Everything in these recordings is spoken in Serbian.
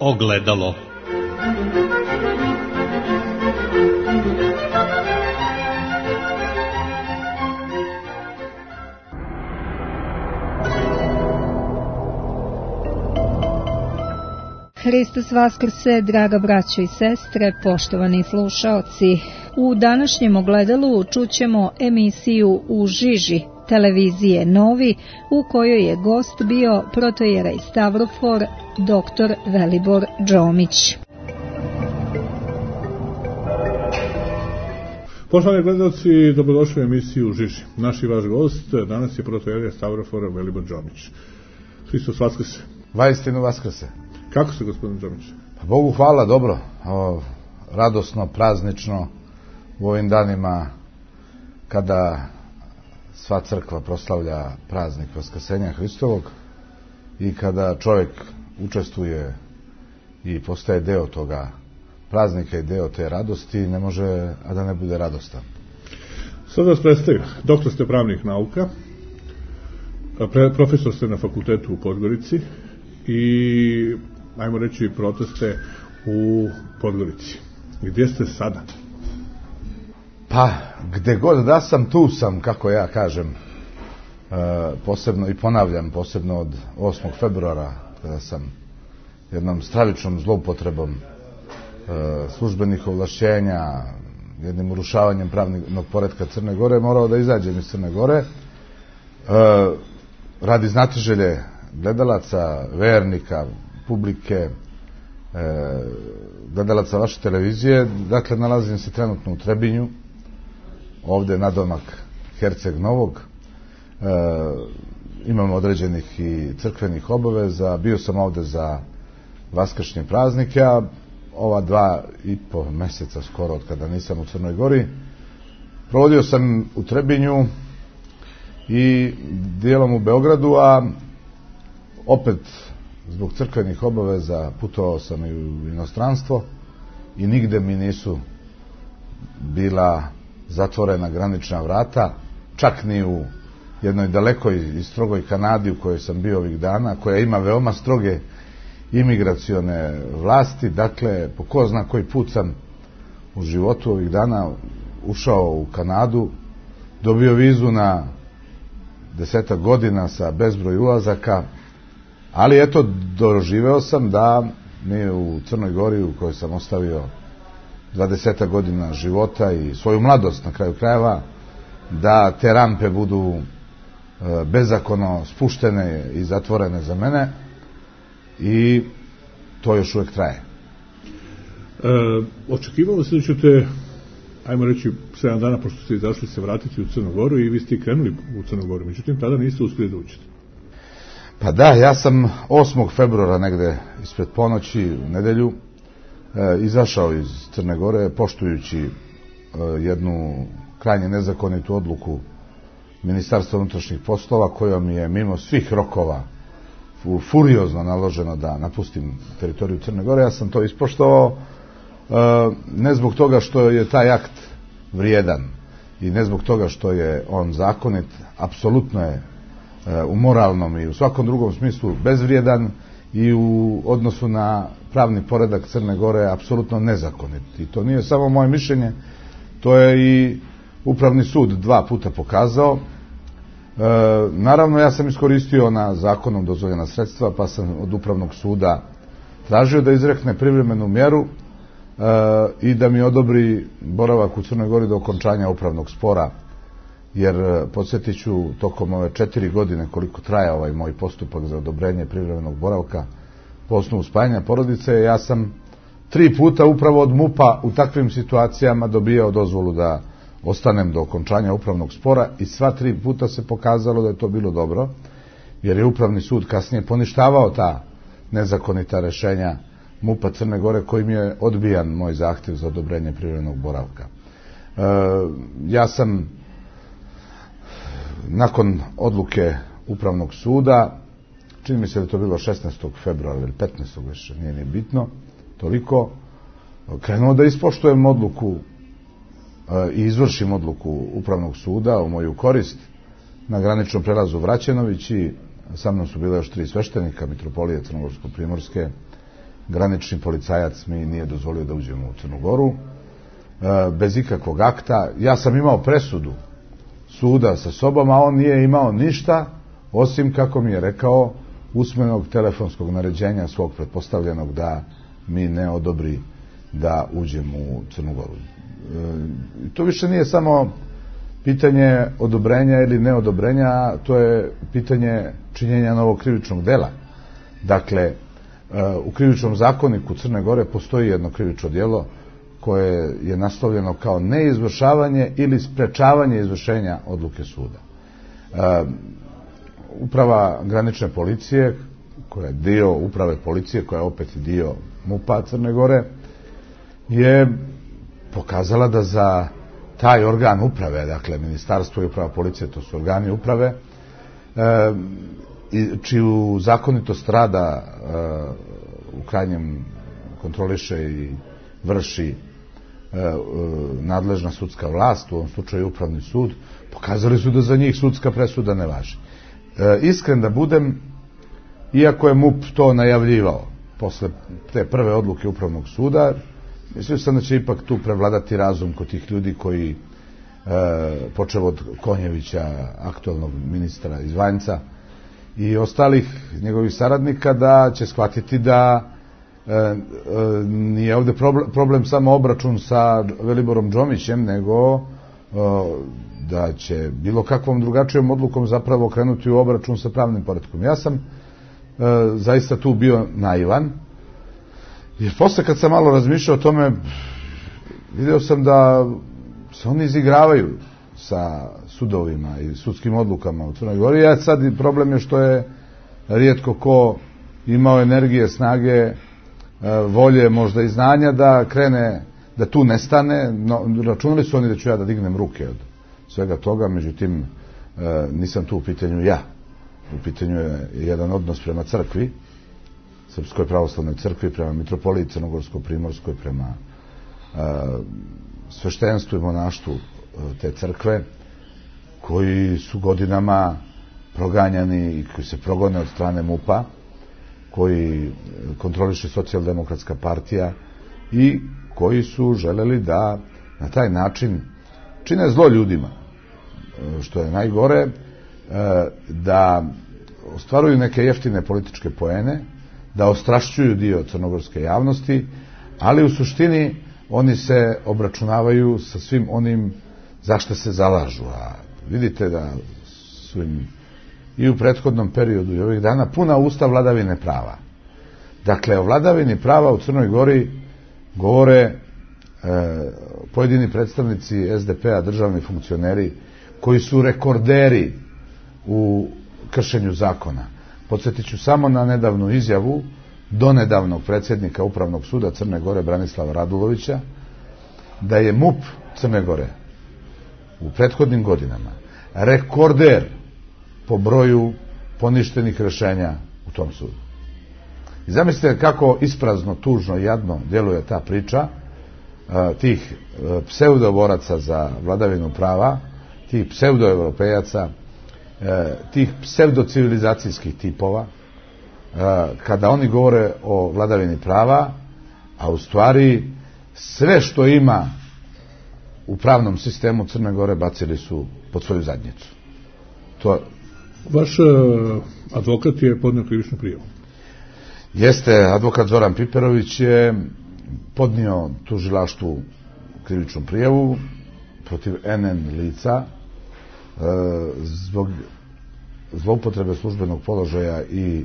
Ogledalo. Hristos vaskrse, draga braćo i sestre, poštovani slušaoci. U današnjem ogledalu čućemo emisiju U žiži televizije Novi, u kojoj je gost bio protojerej Stavrofor dr. Velibor Džomić. Poštovani gledalci, dobrodošli u emisiju U žiži. Naš i vaš gost danas je protojerej Stavrofor Velibor Džomić. Hristos vaskrse. Vaistinu vaskrse. Kako se, gospodin Džomić? Bogu hvala, dobro. Radosno, praznično u ovim danima kada sva crkva proslavlja praznik Vaskrsenja Hristovog i kada čovjek učestvuje i postaje deo toga praznika i deo te radosti, ne može a da ne bude radostan. Sad vas predstavim. Doktor ste pravnih nauka, profesor ste na fakultetu u Podgorici i, ajmo reći, proteste u Podgorici. Gdje ste sada? Pa, gde god da sam, tu sam, kako ja kažem, posebno i ponavljam, posebno od 8. februara, kada sam jednom stravičnom zloupotrebom službenih ovlašćenja, jednim urušavanjem pravnog poretka Crne Gore, morao da izađem iz Crne Gore, radi znatiželje gledalaca, vernika, publike, gledalaca vaše televizije. Dakle, nalazim se trenutno u Trebinju, ovde nadomak Herceg Novog. Imam određenih i crkvenih obaveza. Bio sam ovde za vaskršnje praznike, a ova 2,5 meseca skoro od kada nisam u Crnoj Gori provodio sam u Trebinju i dijelom u Beogradu, a opet zbog crkvenih obaveza putovao sam i u inostranstvo i nigde mi nisu bila zatvorena granična vrata, čak ni u jednoj dalekoj i strogoj Kanadi u kojoj sam bio ovih dana, koja ima veoma stroge imigracione vlasti. Dakle, po ko zna koji put sam u životu ovih dana ušao u Kanadu, dobio vizu na 10 godina sa bezbroj ulazaka, ali eto, doživeo sam da mi u Crnoj Gori, u kojoj sam ostavio 20 godina života i svoju mladost na kraju krajeva, da te rampe budu bezakonno spuštene i zatvorene za mene, i to još uvijek traje. Očekivalo se da ćete, ajmo reći, 7 dana pošto ste izašli, se vratiti u Crnu Goru i vi ste krenuli u Crnu Goru, međutim tada niste uspjeli da učite. Pa da, ja sam 8. februara negde ispred ponoći u nedelju izašao iz Crne Gore poštujući jednu krajnje nezakonitu odluku Ministarstva unutrašnjih poslova, kojom je mimo svih rokova furiozno naloženo da napustim teritoriju Crne Gore. Ja sam to ispoštovao, ne zbog toga što je taj akt vrijedan i ne zbog toga što je on zakonit, apsolutno je u moralnom i u svakom drugom smislu bezvrijedan i u odnosu na pravni poredak Crne Gore apsolutno nezakonit. I to nije samo moje mišljenje, to je i Upravni sud 2 puta pokazao. Naravno, ja sam iskoristio na zakonom dozvoljena sredstva, pa sam od Upravnog suda tražio da izrekne privremenu mjeru i da mi odobri boravak u Crnoj Gori do okončanja upravnog spora, jer podsjetit ću, tokom ove 4 godine koliko traje ovaj moj postupak za odobrenje privremenog boravka po osnovu spajanja porodice, ja sam 3 puta upravo od MUP-a u takvim situacijama dobijao dozvolu da ostanem do okončanja upravnog spora i sva 3 puta se pokazalo da je to bilo dobro, jer je Upravni sud kasnije poništavao ta nezakonita rešenja MUP-a Crne Gore, kojim je odbijan moj zahtjev za odobrenje privremenog boravka. Ja sam nakon odluke Upravnog suda, čini mi se da je to bilo 16. februara ili 15. više, nije ni bitno, toliko, krenuo da ispoštujem odluku i izvršim odluku Upravnog suda u moju korist na graničnom prelazu Vraćenović, i sa mnom su bile još 3 sveštenika, mitropolije Crnogorsko-primorske granični policajac mi nije dozvolio da uđemo u Crnu Goru, bez ikakvog akta. Ja sam imao presudu suda sa sobom, a on nije imao ništa, osim, kako mi je rekao, usmenog telefonskog naređenja svog pretpostavljenog da mi ne odobri da uđemo u Crnu Goru. To više nije samo pitanje odobrenja ili neodobrenja, to je pitanje činjenja novog krivičnog dela. Dakle, u krivičnom zakoniku Crne Gore postoji jedno krivično djelo koje je naslovljeno kao neizvršavanje ili sprečavanje izvršenja odluke suda. Uprava granične policije, koja je dio uprave policije, koja je opet dio MUP-a Crne Gore, je pokazala da za taj organ uprave, dakle ministarstvo i uprava policije, to su organi uprave, čiju zakonitost rada u krajnjem kontroliše i vrši nadležna sudska vlast, u ovom slučaju upravni sud, pokazali su da za njih sudska presuda ne važi. Iskren da budem, iako je MUP to najavljivao posle te prve odluke upravnog suda, mislio sam da će ipak tu prevladati razum kod tih ljudi koji, počeo od Konjevića, aktualnog ministra iz Vanjca, i ostalih njegovih saradnika, da će shvatiti da nije ovde problem samo obračun sa Veliborom Džomićem, nego da će bilo kakvom drugačijom odlukom zapravo krenuti u obračun sa pravnim poretkom. Ja sam zaista tu bio naivan, jer posle kad sam malo razmišljao o tome, video sam da se oni izigravaju sa sudovima i sudskim odlukama u Crnoj Gori. Ja sad problem je što je rijetko ko imao energije, snage, volje, možda i znanja da krene, da tu nestane. Računali su oni da ću ja da dignem ruke od svega toga, međutim nisam tu u pitanju ja. U pitanju je jedan odnos prema crkvi, Srpskoj pravoslavnoj crkvi, prema mitropoliji Crnogorsko-primorskoj, prema sveštenstvu i monaštvu te crkve, koji su godinama proganjani i koji se progone od strane MUP-a, koji kontroliše Socijaldemokratska partija i koji su želeli da na taj način čine zlo ljudima, što je najgore, da ostvaruju neke jeftine političke poene, da ostrašćuju dio crnogorske javnosti, ali u suštini oni se obračunavaju sa svim onim za što se zalažu. A vidite da su im i u prethodnom periodu i ovih dana puna usta vladavine prava. Dakle, o vladavini prava u Crnoj Gori govore pojedini predstavnici SDP-a, državni funkcioneri, koji su rekorderi u kršenju zakona. Podsjetit ću samo na nedavnu izjavu donedavnog predsjednika Upravnog suda Crne Gore Branislava Radulovića, da je MUP Crne Gore u prethodnim godinama rekorder po broju poništenih rješenja u tom sudu. I zamislite kako isprazno, tužno i jadno djeluje ta priča tih pseudoboraca za vladavinu prava, tih pseudoevropejaca, tih pseudocivilizacijskih tipova, kada oni govore o vladavini prava, a u stvari sve što ima u pravnom sistemu Crne Gore bacili su pod svoju zadnjicu. Vaš advokat je podnio krivičnu prijavu. Jeste, advokat Zoran Piperović je podnio tužilaštvu krivičnu prijavu protiv NN lica zbog zloupotrebe službenog položaja i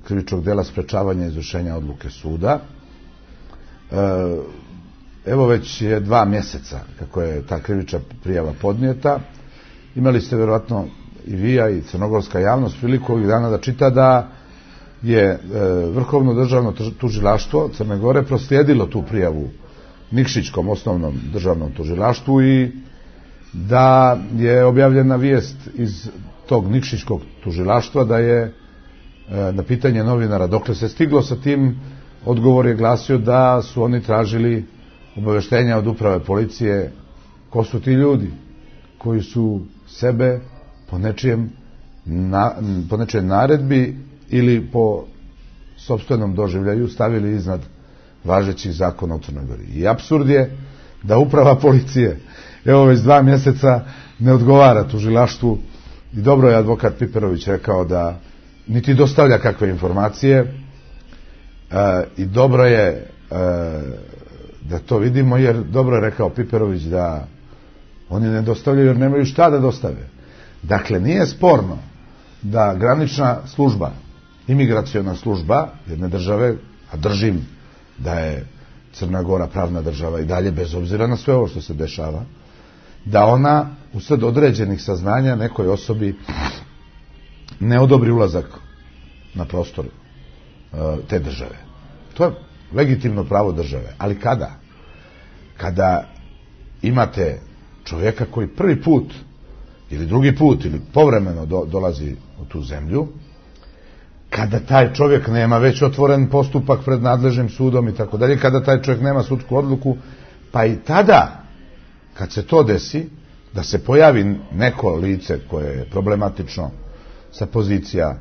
krivičnog dela sprečavanja izvršenja odluke suda. Evo već je 2 mjeseca kako je ta krivična prijava podnijeta. Imali ste vjerojatno i vi, a i crnogorska javnost priliku ovih dana da čita da je Vrhovno državno tužilaštvo Crne Gore proslijedilo tu prijavu Nikšićkom osnovnom državnom tužilaštvu i da je objavljena vijest iz tog Nikšićkog tužilaštva da je na pitanje novinara dokle se stiglo sa tim, odgovor je glasio da su oni tražili obaveštenja od uprave policije ko su ti ljudi koji su sebe po nečijoj naredbi ili po sopstvenom doživljaju stavili iznad važećih zakona u Crnoj Gori. I apsurd je da uprava policije, evo već 2 mjeseca, ne odgovara tužilaštvu i dobro je advokat Piperović rekao da niti dostavlja kakve informacije i dobro je da to vidimo, jer dobro je rekao Piperović da oni ne dostavljaju jer nemaju šta da dostave. Dakle, nije sporno da granična služba, imigraciona služba jedne države, a držim da je Crna Gora pravna država i dalje, bez obzira na sve ovo što se dešava, da ona usled određenih saznanja nekoj osobi ne odobri ulazak na prostor te države. To je legitimno pravo države. Ali kada? Kada imate čovjeka koji prvi put ili drugi put ili povremeno dolazi u tu zemlju, kada taj čovjek nema već otvoren postupak pred nadležnim sudom i tako dalje, kada taj čovjek nema sudsku odluku, pa i tada, kad se to desi, da se pojavi neko lice koje je problematično sa pozicija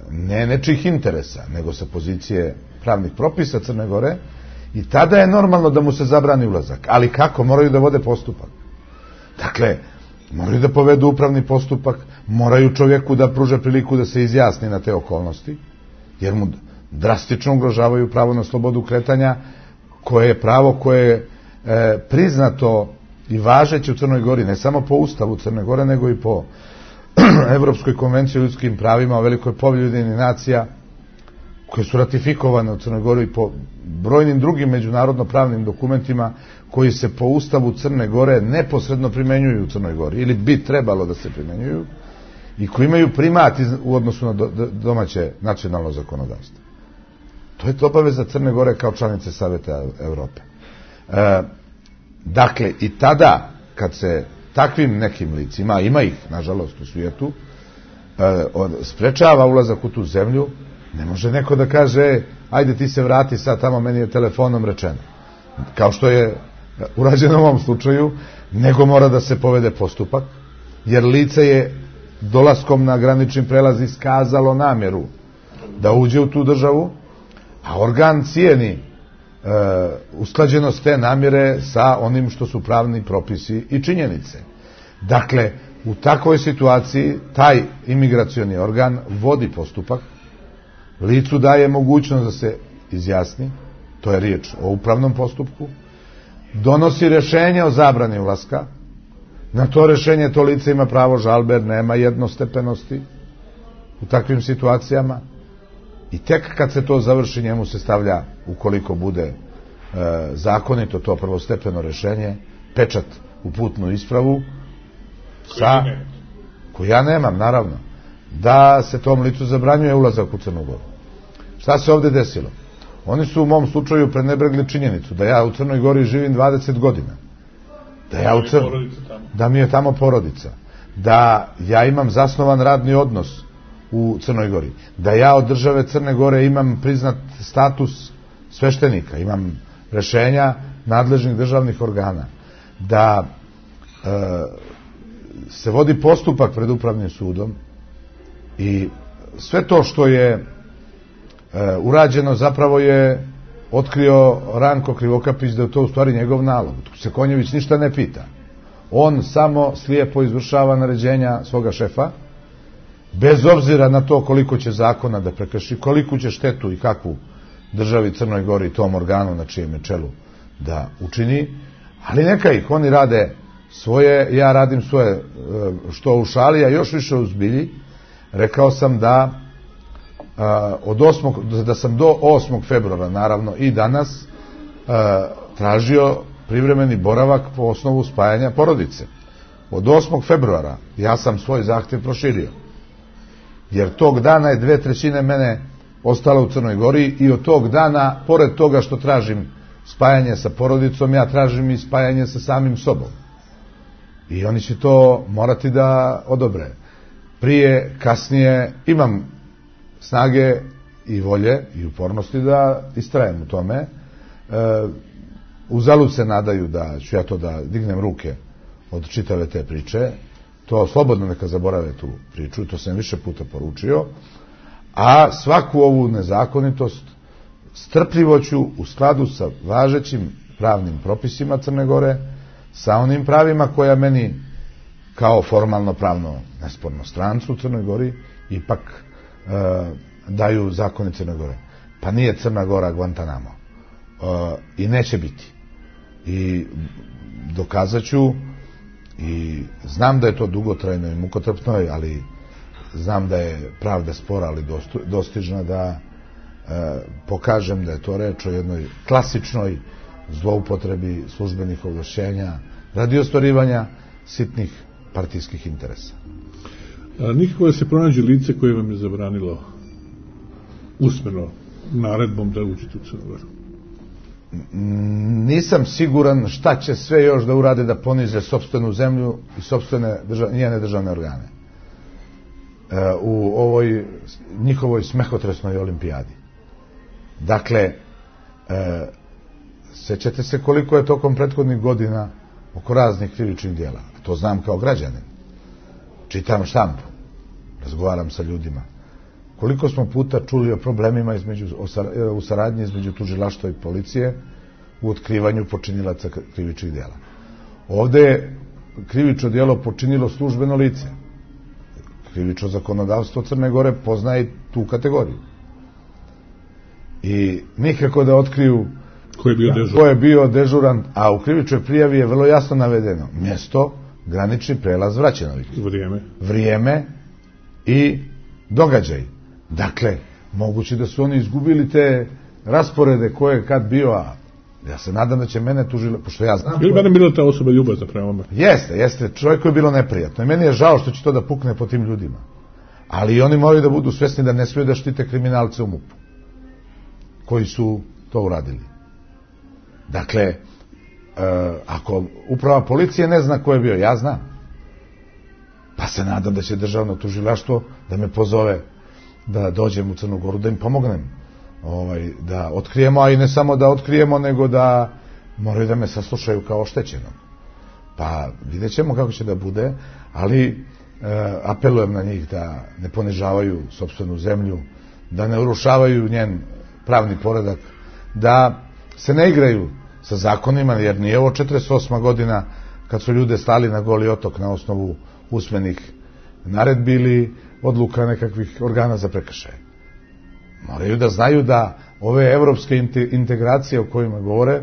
ne nečih interesa, nego sa pozicije pravnih propisa Crne Gore, i tada je normalno da mu se zabrani ulazak. Ali kako? Moraju da vode postupak. Dakle, moraju da povedu upravni postupak, moraju čovjeku da pruže priliku da se izjasni na te okolnosti, jer mu drastično ugrožavaju pravo na slobodu kretanja, koje je pravo koje je priznato i važeće u Crnoj Gori, ne samo po Ustavu Crne Gore, nego i po Evropskoj konvenciji o ljudskim pravima, o Velikoj povelji Ujedinjenih nacija, koje su ratifikovane u Crnoj Gori, i po brojnim drugim međunarodno pravnim dokumentima koji se po Ustavu Crne Gore neposredno primenjuju u Crnoj Gori, ili bi trebalo da se primenjuju, i koji imaju primat u odnosu na domaće nacionalno zakonodavstvo. To je obaveza Crne Gore kao članice Saveta Evrope. Dakle, i tada, kad se takvim nekim licima, ima ih, nažalost, u svijetu, sprečava ulazak u tu zemlju, ne može neko da kaže, ajde ti se vrati sad tamo, meni je telefonom rečeno. Kao što je urađeno u ovom slučaju, nego mora da se povede postupak, jer lice je dolaskom na granični prelaz iskazalo namjeru da uđe u tu državu, a organ cijeni usklađenost te namjere sa onim što su pravni propisi i činjenice. Dakle, u takvoj situaciji taj imigracioni organ vodi postupak, licu daje mogućnost da se izjasni, to je riječ o upravnom postupku, donosi rješenje o zabrani ulaska, na to rješenje to lice ima pravo žalbe, jer nema jednostepenosti u takvim situacijama, i tek kad se to završi, njemu se stavlja, ukoliko bude zakonito to prvostepeno rješenje, pečat u putnu ispravu, koju ja nemam, naravno, da se tom licu zabranjuje ulazak u Crnu Goru. Šta se ovdje desilo? Oni su u mom slučaju prenebregli činjenicu da ja u Crnoj Gori živim 20 godina. Da mi je tamo porodica. Da ja imam zasnovan radni odnos u Crnoj Gori. Da ja od države Crne Gore imam priznat status sveštenika. Imam rješenja nadležnih državnih organa. Da se vodi postupak pred upravnim sudom, i sve to što je urađeno zapravo je otkrio Ranko Krivokapić, da je to u stvari njegov nalog. Tu se Konjević ništa ne pita. On samo slijepo izvršava naređenja svoga šefa, bez obzira na to koliko će zakona da prekrši, koliko će štetu i kakvu državi Crnoj Gori, tom organu na čijem je čelu, da učini, ali neka ih, oni rade svoje, ja radim svoje, što u šali, a još više u zbilji. Rekao sam da da sam do 8. februara, naravno i danas, tražio privremeni boravak po osnovu spajanja porodice. Od 8. februara ja sam svoj zahtjev proširio, jer tog dana je 2/3 mene ostalo u Crnoj Gori, i od tog dana, pored toga što tražim spajanje sa porodicom, ja tražim i spajanje sa samim sobom. I oni će to morati da odobre. Prije, kasnije, imam snage i volje i upornosti da istrajem u tome. Uzalud se nadaju da ću ja to da dignem ruke od čitave te priče. To slobodno neka zaborave tu priču, to sam više puta poručio. A svaku ovu nezakonitost strpljivo ću u skladu sa važećim pravnim propisima Crne Gore, sa onim pravima koja meni kao formalno pravno nesporno strancu u Crnoj Gori ipak daju zakoni Crne Gore. Pa nije Crna Gora Guantanamo. I neće biti. I dokazat ću i znam da je to dugotrajno i mukotrpno, ali znam da je pravda spora, ali dostižna, da pokažem da je to reč o jednoj klasičnoj zloupotrebi službenih ovlašćenja radi ostvarivanja sitnih partijskih interesa. Nikako da se pronađe lice koje vam je zabranilo usmeno naredbom da uđete u Crnu Goru? Nisam siguran šta će sve još da urade da ponize sopstvenu zemlju i sopstvene njene državne organe u ovoj njihovoj smehotresnoj olimpijadi. Dakle, sećate se koliko je tokom prethodnih godina oko raznih krivičnih djela. To znam kao građanin. Čitam štampu, razgovaram sa ljudima. Koliko smo puta čuli o problemima u saradnji između tužilaštva i policije u otkrivanju počinilaca krivičnih djela. Ovdje je krivično djelo počinilo službeno lice. Krivično zakonodavstvo Crne Gore poznaje tu kategoriju. I nikako da otkriju ko je bio dežuran, a u krivičnoj prijavi je vrlo jasno navedeno mjesto, granični prelaz Vraćenović. Vrijeme i događaj. Dakle, moguće da su oni izgubili te rasporede ko je kad bio, a ja se nadam da će mene tužili, pošto ja znam... Ili barem bila ta osoba ljubazna prema me? Jeste, čovjeku je bilo neprijatno i meni je žao što će to da pukne po tim ljudima. Ali i oni moraju da budu svjesni da ne smiju da štite kriminalce u MUP-u koji su to uradili. Dakle, ako uprava policije ne zna ko je bio, ja znam. Pa se nadam da će državno tužilaštvo da me pozove da dođem u Crnu Goru, da im pomognem da otkrijemo, a i ne samo da otkrijemo, nego da moraju da me saslušaju kao oštećenog. Pa vidjet ćemo kako će da bude, ali apelujem na njih da ne ponižavaju sopstvenu zemlju, da ne urušavaju njen pravni poredak, da se ne igraju sa zakonima, jer nije ovo 48. godina kad su ljude stali na Goli otok na osnovu usmenih naredbi ili odluka nekakvih organa za prekršaje. Moraju da znaju da ove evropske integracije o kojima govore,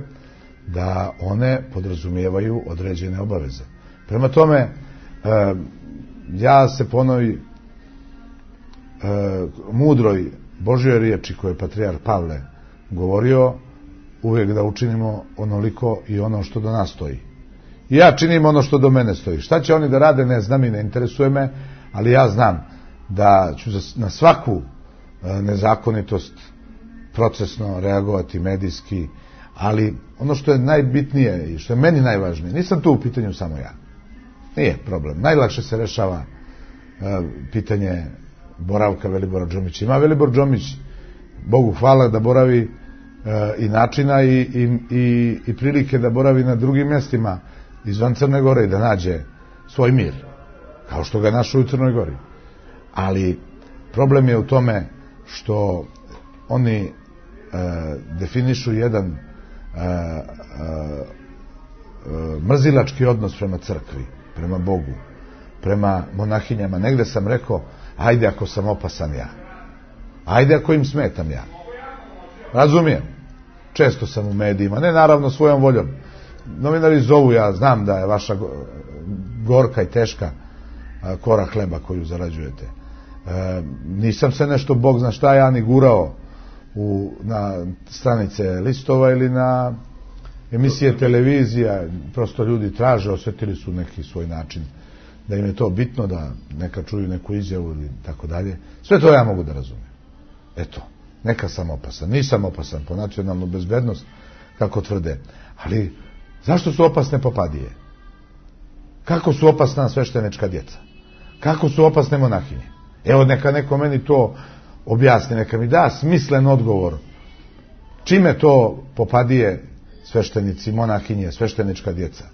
da one podrazumijevaju određene obaveze. Prema tome, ja se po onoj mudroj Božjoj riječi koju je patrijarh Pavle govorio, uvijek da učinimo onoliko i ono što do nas stoji. I ja činim ono što do mene stoji. Šta će oni da rade, ne znam i ne interesuje me, ali ja znam da ću na svaku nezakonitost procesno reagovati medijski, ali ono što je najbitnije i što je meni najvažnije, nisam tu u pitanju samo ja. Nije problem. Najlakše se rešava pitanje boravka Velibora Džomića. Ima Velibor Džomić, Bogu hvala, da boravi i načina i prilike da boravi na drugim mjestima izvan Crne Gore i da nađe svoj mir, kao što ga je našao u Crnoj Gori. Ali problem je u tome što oni definišu jedan mrzilački odnos prema crkvi, prema Bogu, prema monahinjama. Negde sam rekao, ajde ako sam opasan ja, ajde ako im smetam ja. Razumijem, često sam u medijima, ne naravno svojom voljom. Novinari zovu, ja znam da je vaša gorka i teška kora hleba koju zarađujete. Nisam se nešto, Bog zna šta, ja ni gurao na stranice listova ili na emisije televizija. Prosto ljudi traže, osjetili su neki svoj način da im je to bitno, da neka čuju neku izjavu ili tako dalje. Sve to ja mogu da razumijem. Eto, neka sam opasan. Nisam opasan po nacionalnu bezbednost, kako tvrde. Ali zašto su opasne popadije? Kako su opasna sveštenička djeca? Kako su opasne monahinje? Evo, neka neko meni to objasni, neka mi da smislen odgovor. Čime to popadije, sveštenici, monahinje, sveštenička djeca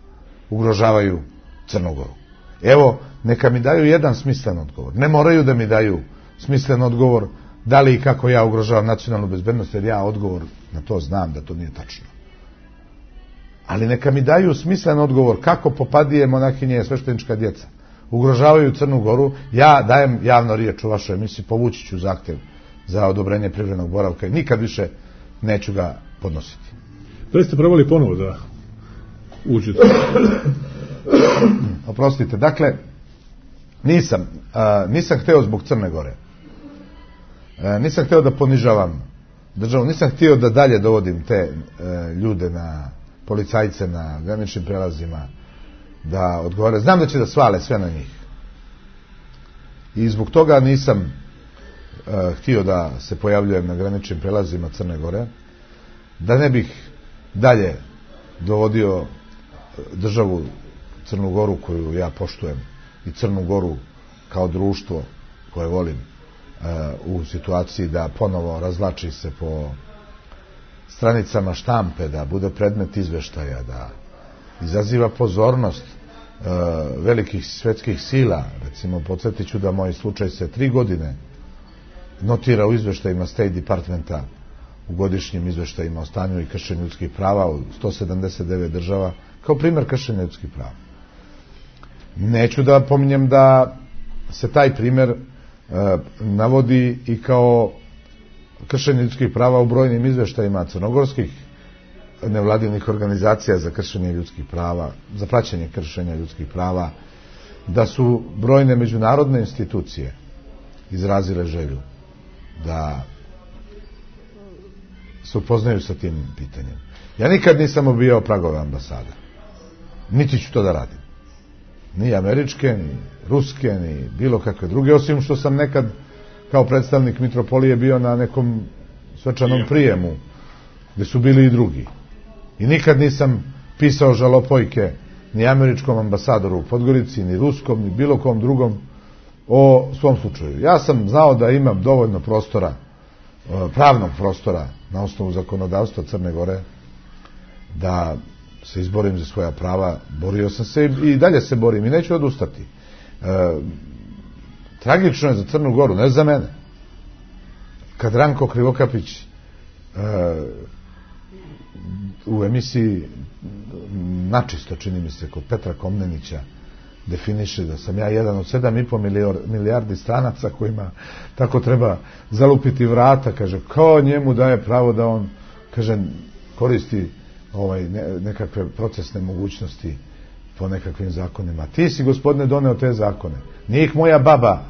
ugrožavaju Crnu Goru? Evo, neka mi daju jedan smislen odgovor. Ne moraju da mi daju smislen odgovor da li i kako ja ugrožavam nacionalnu bezbednost, jer ja odgovor na to znam da to nije tačno. Ali neka mi daju smislen odgovor kako popadije monahinje sveštenička djeca ugrožavaju Crnu Goru. Ja dajem javno riječ u vašoj emisiji, povući ću zahtjev za odobrenje privremenog boravka i nikad više neću ga podnositi. Da ste probali ponovo da uđete? Oprostite, dakle, nisam hteo zbog Crne Gore. Nisam hteo da ponižavam državu, nisam htio da dalje dovodim te ljude, na policajce na graničnim prelazima, da odgovore. Znam da će da svale sve na njih. I zbog toga nisam htio da se pojavljujem na graničnim prelazima Crne Gore, da ne bih dalje dovodio državu Crnu Goru koju ja poštujem i Crnu Goru kao društvo koje volim u situaciji da ponovo razvlači se po stranicama štampe, da bude predmet izveštaja, da izaziva pozornost velikih svetskih sila. Recimo, podsjetit ću da moj slučaj se 3 godine notira u izveštajima State Departmenta, u godišnjim izveštajima o stanju i kršenju ljudskih prava u 179 država, kao primjer kršenja ljudskih prava. Neću da pominjem da se taj primjer navodi i kao kršenje ljudskih prava u brojnim izveštajima crnogorskih nevladinih organizacija za kršenje ljudskih prava, za praćenje kršenja ljudskih prava, da su brojne međunarodne institucije izrazile želju da se upoznaju sa tim pitanjem. Ja nikad nisam obijao pragove ambasade. Niti ću to da radim. Ni američke, ni ruske, ni bilo kakve druge, osim što sam nekad kao predstavnik mitropolije bio na nekom svečanom prijemu gdje su bili i drugi. I nikad nisam pisao žalopojke ni američkom ambasadoru u Podgorici, ni ruskom, ni bilo kom drugom o svom slučaju. Ja sam znao da imam dovoljno prostora, pravnog prostora na osnovu zakonodavstva Crne Gore, da se izborim za svoja prava. Borio sam se i dalje se borim i neću odustati. Tragično je za Crnu Goru, ne za mene. Kad Ranko Krivokapić u emisiji Načisto, čini mi se, kod Petra Komnenića definiše da sam ja jedan od 7,5 milijardi stranaca kojima tako treba zalupiti vrata, kaže, kao njemu daje pravo da on, kaže, koristi nekakve procesne mogućnosti po nekakvim zakonima. Ti si, gospodine, doneo te zakone. Nije ih moja baba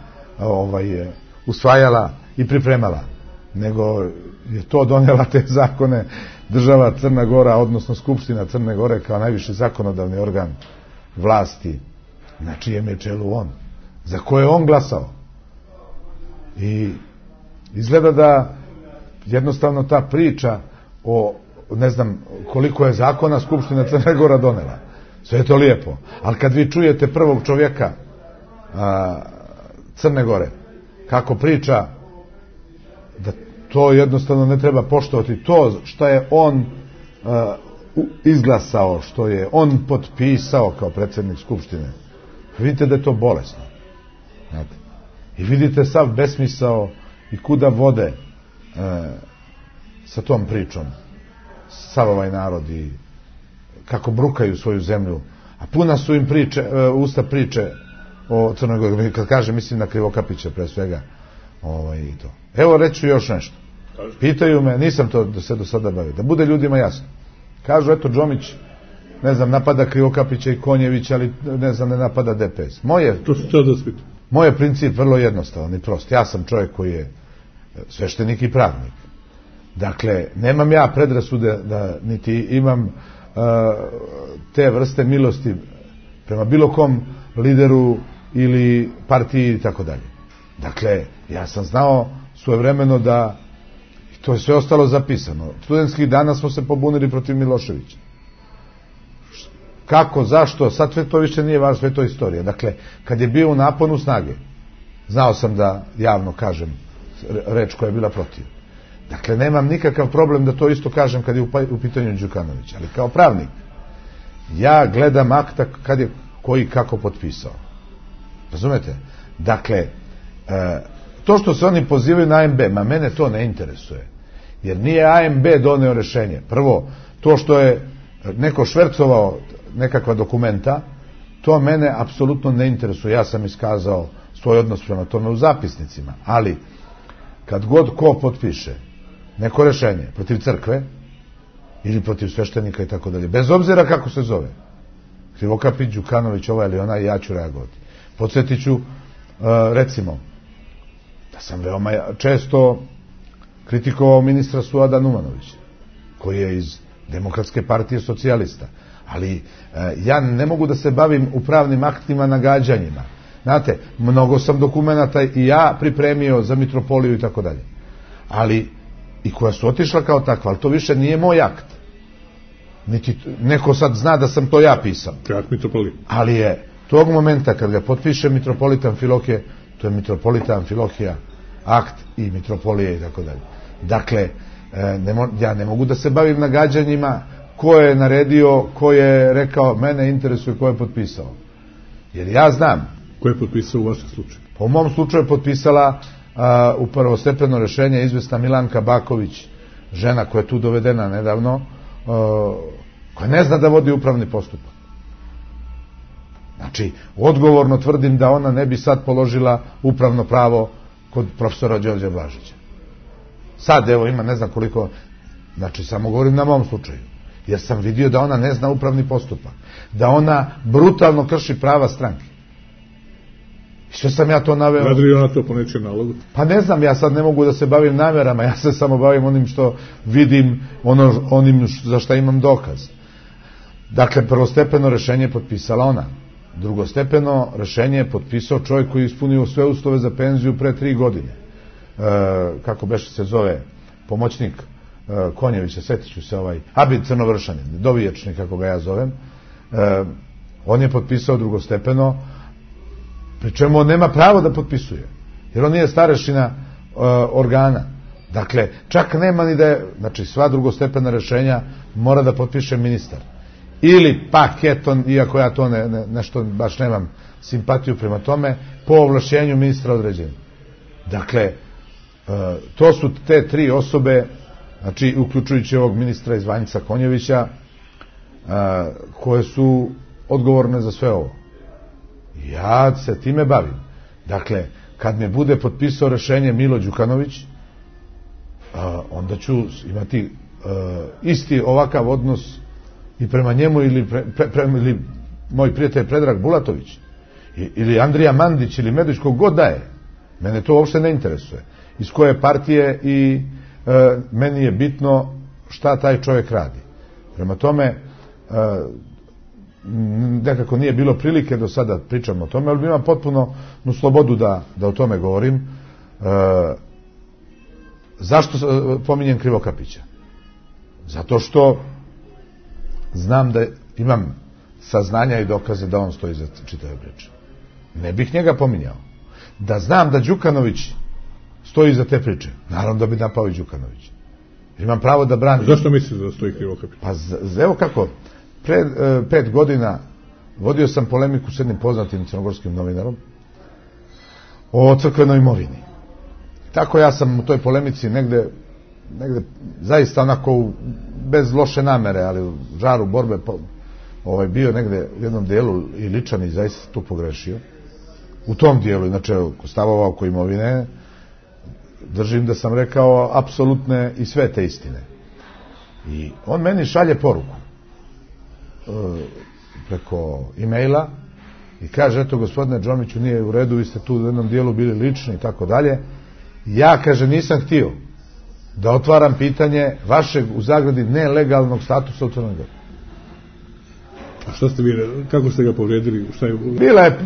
usvajala i pripremala, nego je to donela te zakone država Crna Gora, odnosno Skupština Crne Gore kao najviši zakonodavni organ vlasti, na čijem je čelu on, za koje je on glasao. I izgleda da jednostavno ta priča o ne znam koliko je zakona Skupština Crne Gora donela. Sve je to lijepo. Ali kad vi čujete prvog čovjeka Crne Gore kako priča da to jednostavno ne treba poštovati, to što je on izglasao, što je on potpisao kao predsjednik Skupštine, vidite da je to bolesno. Znate? I vidite sav besmisao i kuda vode sa tom pričom sav ovaj narod i kako brukaju svoju zemlju, a puna su im usta priče o Crnoj Gori. Kad kažem, mislim na Krivokapića pre svega. I to. Evo, reću još nešto. Pitaju me, nisam to se do sada bavio, da bude ljudima jasno. Kažu, eto, Džomić, ne znam, napada Krivokapića i Konjevića, ali ne znam, ne napada DPS. Moj je princip vrlo jednostavan i prost. Ja sam čovjek koji je sveštenik i pravnik. Dakle, nemam ja predrasude da niti imam te vrste milosti prema bilo kom lideru ili partiji i tako dalje. Dakle, ja sam znao svojevremeno da to je sve ostalo zapisano. Studentskih dana smo se pobunili protiv Miloševića. Kako, zašto, sad sve to više nije važno, sve to istorija. Dakle, kad je bio u naponu snage, znao sam da javno kažem reč koja je bila protiv. Dakle, nemam nikakav problem da to isto kažem kad je u pitanju Đukanović, ali kao pravnik ja gledam akta kad je koji kako potpisao. Razumete? Dakle, to što se oni pozivaju na AMB, ma mene to ne interesuje. Jer nije AMB doneo rešenje. Prvo, to što je neko švercovao nekakva dokumenta, to mene apsolutno ne interesuje. Ja sam iskazao svoj odnos prema tome u zapisnicima. Ali, kad god ko potpiše neko rešenje protiv crkve ili protiv sveštenika i tako dalje, bez obzira kako se zove, Krivokapić, Đukanović, ova ili ona, ja ću reagovati. Podsjetit ću, recimo, da sam veoma često kritikovao ministra Suada Numanovića, koji je iz Demokratske partije socijalista. Ali ja ne mogu da se bavim upravnim aktima nagađanjima. Znate, mnogo sam dokumenata i ja pripremio za mitropoliju i tako dalje. Ali, i koja su otišla kao takva, ali to više nije moj akt. Niti neko sad zna da sam to ja pisao. Akt mitropolije. Ali je tog momenta kad ga potpiše mitropolita Amfilohije, to je mitropolita Amfilohija, akt i mitropolije i tako dalje. Dakle, ja ne mogu da se bavim nagađanjima ko je naredio, ko je rekao, mene interesuje ko je potpisao. Jer ja znam. Ko je potpisao u vašem slučaju? Po mom slučaju je potpisala u prvostepeno rešenje izvesna Milanka Baković, žena koja je tu dovedena nedavno, koja ne zna da vodi upravni postupak. Znači, odgovorno tvrdim da ona ne bi sad položila upravno pravo kod profesora Đorđa Blažića. Sad, evo, ima ne znam koliko, znači, samo govorim na mom slučaju, jer sam vidio da ona ne zna upravni postupak, da ona brutalno krši prava stranke. I što sam ja to naveo? Radi li ona to po nečijem nalogu? Pa ne znam, ja sad ne mogu da se bavim namerama, ja se samo bavim onim što vidim, onim za šta imam dokaz. Dakle, prvostepeno rešenje je potpisala ona. Drugostepeno rešenje je potpisao čovjek koji je ispunio sve uslove za penziju pre 3 godine. Kako beše se zove, pomoćnik Konjevića, setit ću se Abid Crnovršanin, doviječnik kako ga ja zovem. On je potpisao drugostepeno, pri čemu on nema pravo da potpisuje, jer on nije starešina organa. Dakle, čak nema ni da je, znači sva drugostepena rešenja mora da potpiše ministar. Ili pak, iako ja to nešto baš nemam simpatiju prema tome, po ovlašćenju ministra određenja. Dakle, to su te 3 osobe, znači uključujući ovog ministra iz Vanjca Konjevića, koje su odgovorne za sve ovo. Ja se time bavim. Dakle, kad me bude potpisao rešenje Milo Đukanović, onda ću imati isti ovakav odnos i prema njemu ili moj prijatelj Predrag Bulatović ili Andrija Mandić ili Medović, kog da je. Mene to uopšte ne interesuje. Iz koje partije i meni je bitno šta taj čovjek radi. Prema tome, nekako nije bilo prilike do sada pričam o tome, ali imam potpuno slobodu da o tome govorim. Zašto pominjem Krivokapića? Zato što znam da imam saznanja i dokaze da on stoji za čitave priče. Ne bih njega pominjao. Da znam da Đukanović stoji za te priče, naravno da bi napao i Đukanović. Imam pravo da branim. Zašto misliš da stoji Krivokapić? Pa evo kako, pre 5 godina vodio sam polemiku s jednim poznatim crnogorskim novinarom o crkvenoj imovini. Tako ja sam u toj polemici negde zaista onako bez loše namere, ali u žaru borbe bio negde u jednom dijelu i ličan i zaista tu pogrešio. U tom dijelu, inače stavova oko imovine, držim da sam rekao apsolutne i sve te istine. I on meni šalje poruku preko e-maila i kaže, eto gospodine Džomiću, nije u redu, vi ste tu u jednom dijelu bili lični i tako dalje. Ja, kaže, nisam htio da otvaram pitanje vašeg, u zagradi, nelegalnog statusa u Crnoj Gori. A šta ste vi, kako ste ga povrijedili? Bila je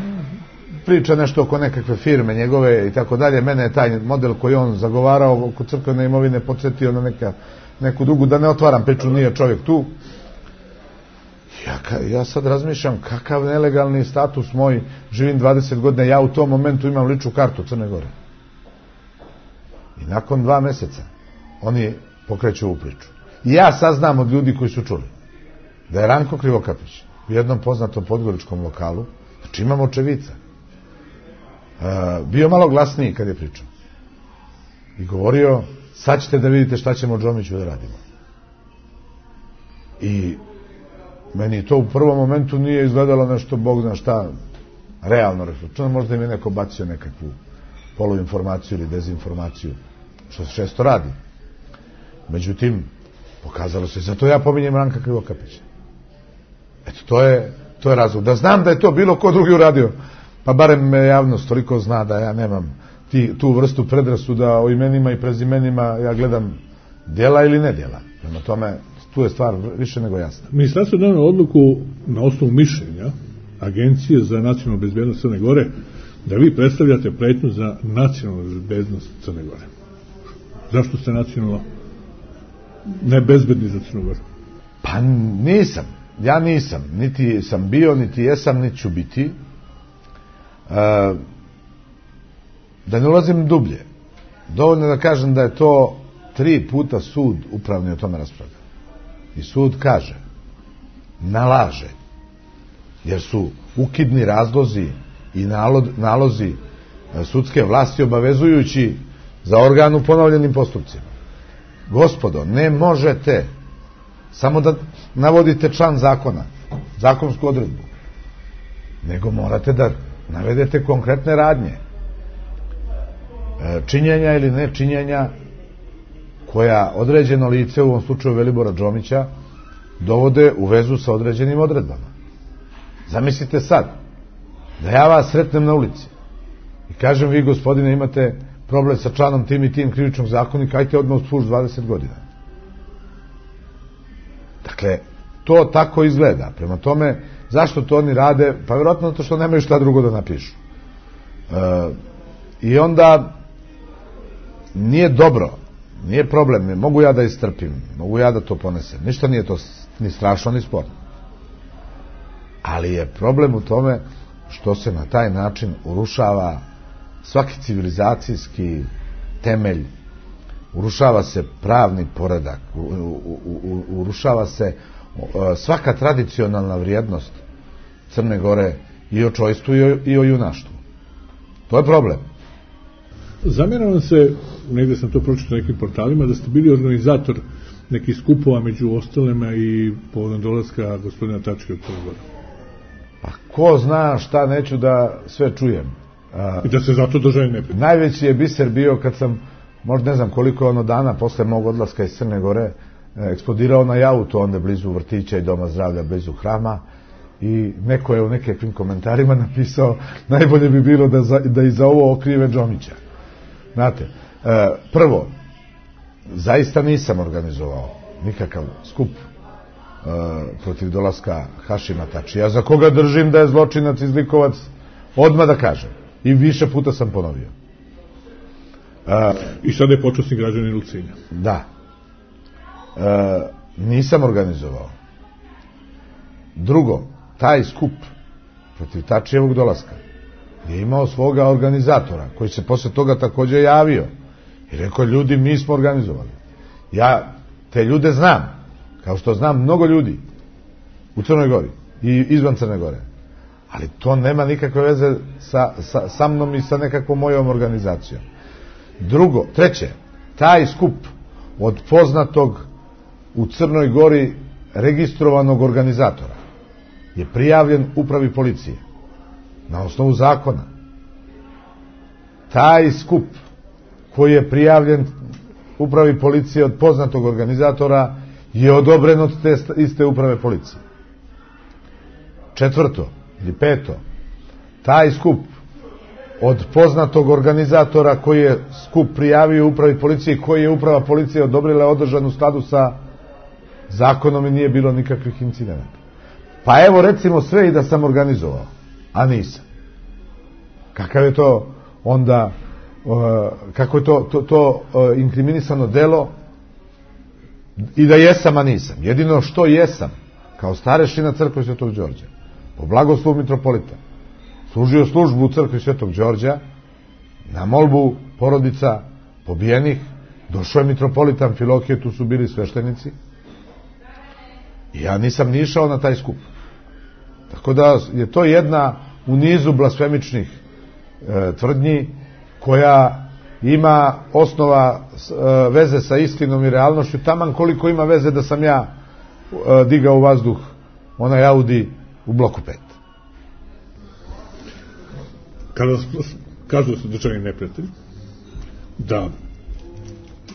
priča nešto oko nekakve firme njegove i tako dalje. Mene je taj model koji on zagovarao oko crkvene imovine podsjetio na neku drugu, da ne otvaram priču, nije čovjek tu. Ja sad razmišljam kakav nelegalni status moj, živim 20 godina, ja u tom momentu imam ličnu kartu Crne Gore. I nakon 2 meseca oni pokreću ovu priču. I ja saznam od ljudi koji su čuli da je Ranko Krivokapić u jednom poznatom podgoričkom lokalu, znači imam očevica, bio malo glasniji kad je pričao. i govorio, sad ćete da vidite šta ćemo Džomiću da radimo. I meni to u prvom momentu nije izgledalo nešto, Bog zna šta, realno refleksivno. Možda im je neko bacio nekakvu poluinformaciju ili dezinformaciju, što se često radi. Međutim, pokazalo se, zato ja pominjem Ranka Krivokapića. Eto, to je razlog. Da znam da je to bilo ko drugi uradio, pa barem me javnost toliko zna da ja nemam tu vrstu predrasuda o imenima i prezimenima, ja gledam djela ili ne djela. Prema tome, tu je stvar više nego jasna. Ministarstvo je donelo odluku na osnovu mišljenja Agencije za nacionalnu bezbednost Crne Gore da vi predstavljate pretnju za nacionalnu bezbednost Crne Gore. Zašto ste nacionalno nebezbedni za Crnu Goru? Pa nisam. Ja nisam. Niti sam bio, niti jesam, niti ću biti. Da ne ulazim dublje. Dovoljno da kažem da je to 3 puta sud upravni o tome raspravlja. I sud kaže, nalaže, jer su ukidni razlozi i nalozi sudske vlasti obavezujući za organ u ponovljenim postupcima. Gospodo, ne možete samo da navodite član zakona, zakonsku odredbu, nego morate da navedete konkretne radnje, činjenja ili ne činjenja koja određeno lice, u ovom slučaju Velibora Džomića, dovode u vezu sa određenim odredbama. Zamislite sad da ja vas sretnem na ulici i kažem, vi gospodine imate problem sa članom tim i tim krivičnog zakonika, ajte odmah u službu 20 godina. Dakle, to tako izgleda. Prema tome, zašto to oni rade? Pa vjerojatno zato što nemaju šta drugo da napišu. I onda nije dobro, nije problem, mogu ja da istrpim, mogu ja da to ponesem. Ništa nije to ni strašno, ni sporno. Ali je problem u tome što se na taj način urušava svaki civilizacijski temelj, urušava se pravni poredak, urušava se svaka tradicionalna vrijednost Crne Gore i o čojstvu i o junaštvu. To je problem. Zamjeram se, negdje sam to pročitao na nekim portalima, da ste bili organizator nekih skupova među ostalima i povodom dolaska gospodina Tačke u Crnu Goru. Pa ko zna šta neću da sve čujem. I da se zato držaju neprijatelji. Najveći je biser bio kad sam, možda ne znam koliko ono dana posle mog odlaska iz Crne Gore, eksplodirao na auto onda blizu vrtića i doma zdravlja, blizu hrama, i neko je u nekakvim komentarima napisao, najbolje bi bilo da i za ovo okrive Džomića. Znate, prvo, zaista nisam organizovao nikakav skup protiv dolaska Hašima Tačija, za koga držim da je zločinac i zlikovac, odmah da kažem. I više puta sam ponovio. I sada je počasni građanin Ulcinja. Da. Nisam organizovao. Drugo, taj skup protiv Tačijevog dolaska je imao svoga organizatora, koji se posle toga također javio i rekao, ljudi, mi smo organizovali. Ja te ljude znam, kao što znam mnogo ljudi u Crnoj Gori i izvan Crne Gore. Ali to nema nikakve veze sa mnom i sa nekakvom mojom organizacijom. Drugo, treće, taj skup od poznatog u Crnoj Gori registrovanog organizatora je prijavljen upravi policije na osnovu zakona. Taj skup koji je prijavljen upravi policije od poznatog organizatora je odobren od te iste uprave policije. Četvrto ili peto, taj skup od poznatog organizatora koji je skup prijavio upravi policije, koji je uprava policije odobrila, održan u skladu sa zakonom i nije bilo nikakvih incidenata. Pa evo recimo sve i da sam organizovao, a nisam. Kakav je to onda, kako je to inkriminisano delo, i da jesam, a nisam. Jedino što jesam, kao starešina crkve Svetog Đorđa, po blagoslovu mitropolita, služio službu u crkvi Svetog Đorđa, na molbu porodica pobijenih, došao je mitropolitan Amfilohije, tu su bili sveštenici, i ja nisam ni išao na taj skup. Tako da je to jedna u nizu blasfemičnih tvrdnji koja ima osnova veze sa istinom i realnošću, taman koliko ima veze da sam ja digao u vazduh onaj Audi u bloku 5. Kada kažu da su državni neprijatelji, da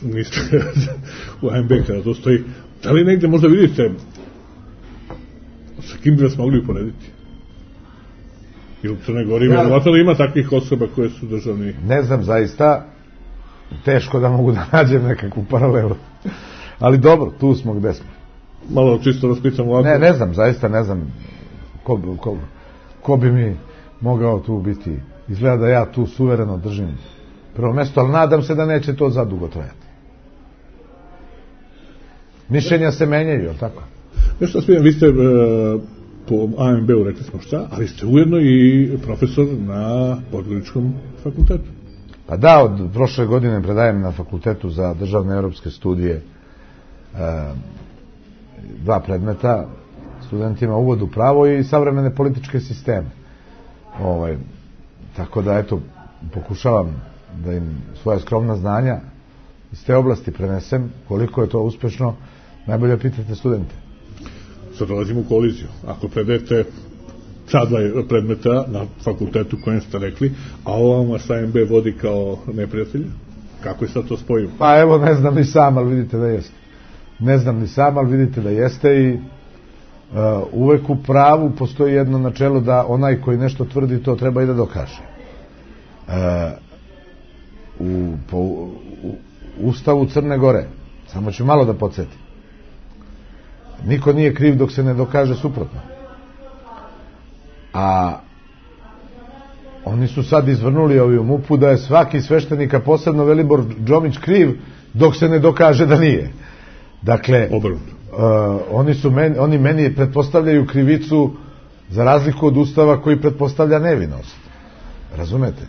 niste u ANB kada to stoji, da li negde možda vidite sa kim bi vas mogli uporediti? I u Crnoj Gori vjerovatno da ima takvih osoba koje su državni... Ne znam, zaista teško da mogu da nađem nekakvu paralelu. Ali dobro, tu smo gde smo. Malo čisto raspitam ovako. Ne znam, zaista ne znam ko bi mi mogao tu biti. Izgleda da ja tu suvereno držim prvo mesto, ali nadam se da neće to zadugo trajati. Mišljenja se menjaju, je li tako? Nešto smijem, vi ste po AMB-u rekli smo šta, ali ste ujedno i profesor na Podgoričkom fakultetu. Pa da, od prošle godine predajem na Fakultetu za državne evropske studije 2 predmeta studentima, uvod u pravo i savremene političke sisteme. Tako da, eto, pokušavam da im svoja skromna znanja iz te oblasti prenesem. Koliko je to uspešno, najbolje pitate studente. Sad dolazimo u koliziju. Ako predajete ta 2 predmeta na fakultetu kojem ste rekli, a ovo vas AMB vodi kao neprijatelja, kako je sad to spojimo? Pa evo, ne znam ni sam, ali vidite da jeste. Ne znam ni sam, ali vidite da jeste i uvek u pravu postoji jedno načelo da onaj koji nešto tvrdi to treba i da dokaže. Po Ustavu Crne Gore, samo ću malo da podsjetim, niko nije kriv dok se ne dokaže suprotno. A oni su sad izvrnuli ovi u MUP-u da je svaki sveštenik, a posebno Velibor Džomić, kriv dok se ne dokaže da nije. Dakle, oni meni pretpostavljaju krivicu za razliku od Ustava koji pretpostavlja nevinost. Razumete?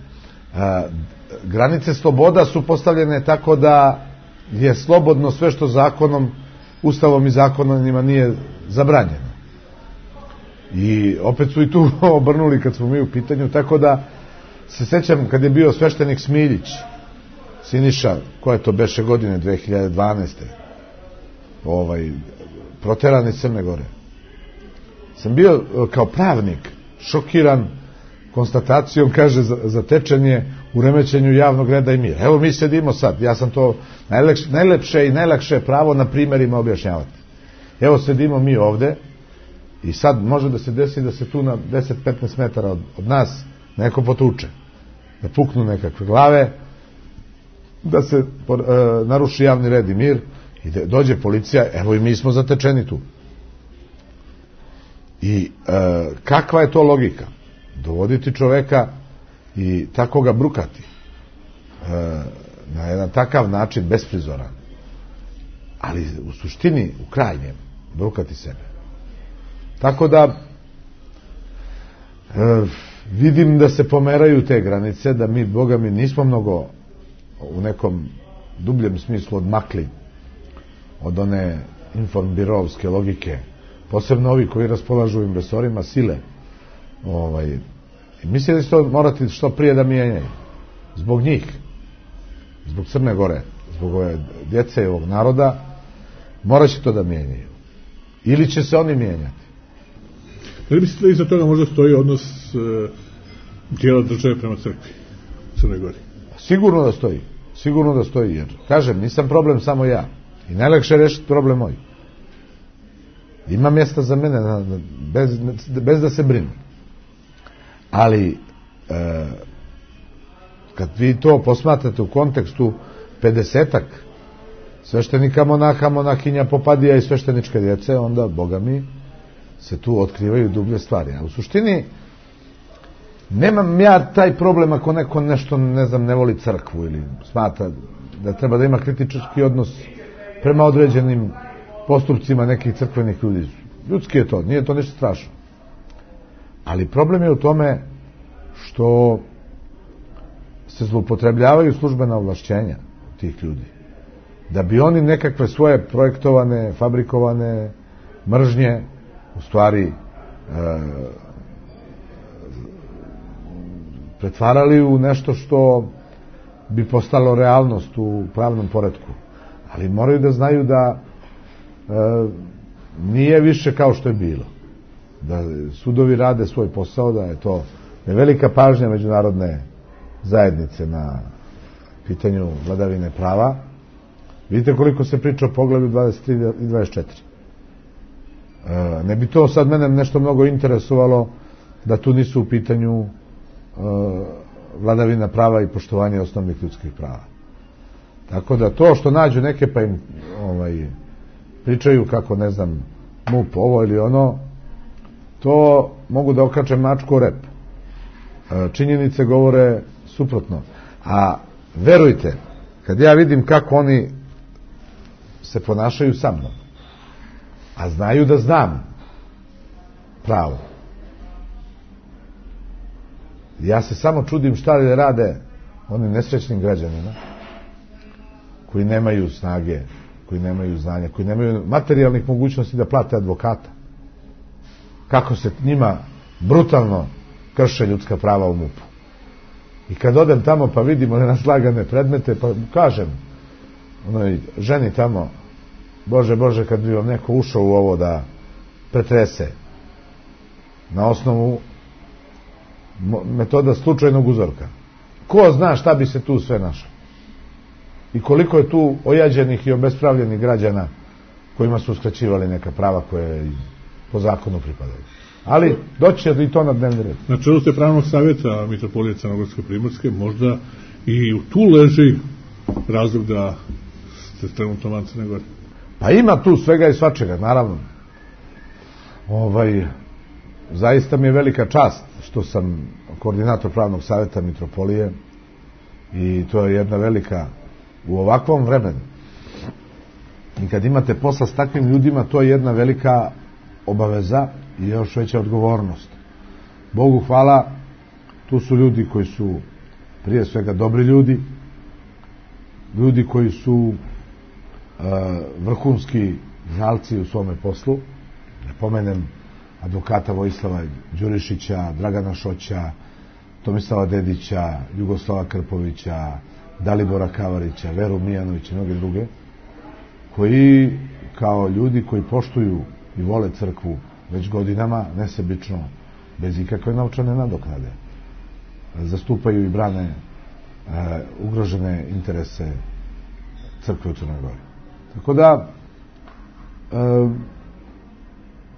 Granice sloboda su postavljene tako da je slobodno sve što zakonom, Ustavom i zakonima nije zabranjeno. I opet su i tu obrnuli kad smo mi u pitanju, tako da se sećam kad je bio sveštenik Smiljić, Siniša, koje to beše godine, 2012. Proteran iz Crne Gore. Sam bio kao pravnik šokiran konstatacijom, kaže, zatečen u remećenju javnog reda i mira. Evo mi sedimo sad, ja sam to najlepše i najlakše pravo na primerima objašnjavati. Evo sedimo mi ovde i sad može da se desi da se tu na 10-15 metara od nas neko potuče, da puknu nekakve glave, da se naruši javni red i mir i da dođe policija, evo i mi smo zatečeni tu. I kakva je to logika? Dovoditi čoveka i tako ga brukati na jedan takav način, besprizoran, ali u suštini, u krajnjem, brukati sebe. Tako da vidim da se pomeraju te granice, da mi, Boga mi, nismo mnogo u nekom dubljem smislu odmakli od one informbirovske logike, posebno ovi koji raspolažu im resorima sile. Mislim da će to morati što prije da mijenjaju. Zbog njih, zbog Crne Gore, zbog ove djece i ovog naroda, morat će to da mijenjaju. Ili će se oni mijenjati. Da li mislite da iza toga možda stoji odnos dijela države prema crkvi u Crnoj Gori? Sigurno da stoji. Sigurno da stoji, jer, kažem, nisam problem samo ja. I najlakše je rešiti problem moj. Ima mjesta za mene, bez da se brinu. Ali, kad vi to posmatrate u kontekstu 50-ak sveštenika, monaha, monahinja, popadija i svešteničke djece, onda, Boga mi, se tu otkrivaju dublje stvari. A u suštini, nemam ja taj problem ako neko nešto, ne znam, ne voli crkvu ili smatra da treba da ima kritički odnos prema određenim postupcima nekih crkvenih ljudi. Ljudski je to, nije to ništa strašno. Ali problem je u tome što se zloupotrebljavaju službena ovlašćenja tih ljudi. Da bi oni nekakve svoje projektovane, fabrikovane mržnje u stvari pretvarali u nešto što bi postalo realnost u pravnom poretku. Ali moraju da znaju da nije više kao što je bilo. Da sudovi rade svoj posao, da je to velika pažnja međunarodne zajednice na pitanju vladavine prava. Vidite koliko se priča o poglavlju 23 i 24. Ne bi to sad mene nešto mnogo interesovalo da tu nisu u pitanju vladavina prava i poštovanje osnovnih ljudskih prava. Tako da to što nađu neke pa im pričaju kako, ne znam, MUP ovo ili ono, to mogu da okače mačku o rep. Činjenice govore suprotno. A verujte, kad ja vidim kako oni se ponašaju sa mnom, a znaju da znam pravo, ja se samo čudim šta li rade onim nesrećnim građanima koji nemaju snage, koji nemaju znanja, koji nemaju materijalnih mogućnosti da plate advokata. Kako se njima brutalno krše ljudska prava u MUP-u. I kad odem tamo pa vidimo nenaslagane predmete, pa kažem onoj ženi tamo, Bože, kad bi vam neko ušao u ovo da pretrese na osnovu metoda slučajnog uzorka. Ko zna šta bi se tu sve našlo? I koliko je tu ojađenih i obespravljenih građana kojima su uskraćivali neka prava koje po zakonu pripadaju. Ali doći će i to na dnevni red. Na čelu ste pravnog savjeta Mitropolije Crnogorske Primorske, možda i tu leži razlog da ste trenutno van Crne Gore. Pa ima tu svega i svačega, naravno. Zaista mi je velika čast što sam koordinator pravnog savjeta Mitropolije i to je jedna velika, u ovakvom vremenu. I kad imate posla s takvim ljudima, to je jedna velika obaveza i još veća odgovornost. Bogu hvala, tu su ljudi koji su prije svega dobri ljudi, ljudi koji su vrhunski znalci u svome poslu. Ne pomenem advokata Vojislava Đurišića, Dragana Šoća, Tomislava Dedića, Jugoslava Krpovića, Dalibora Kavarića, Veru Mijanovića i mnoge druge, koji kao ljudi koji poštuju i vole crkvu već godinama, nesebično, bez ikakve novčane nadoknade, zastupaju i brane ugrožene interese crkve u Crnoj Gori. Tako da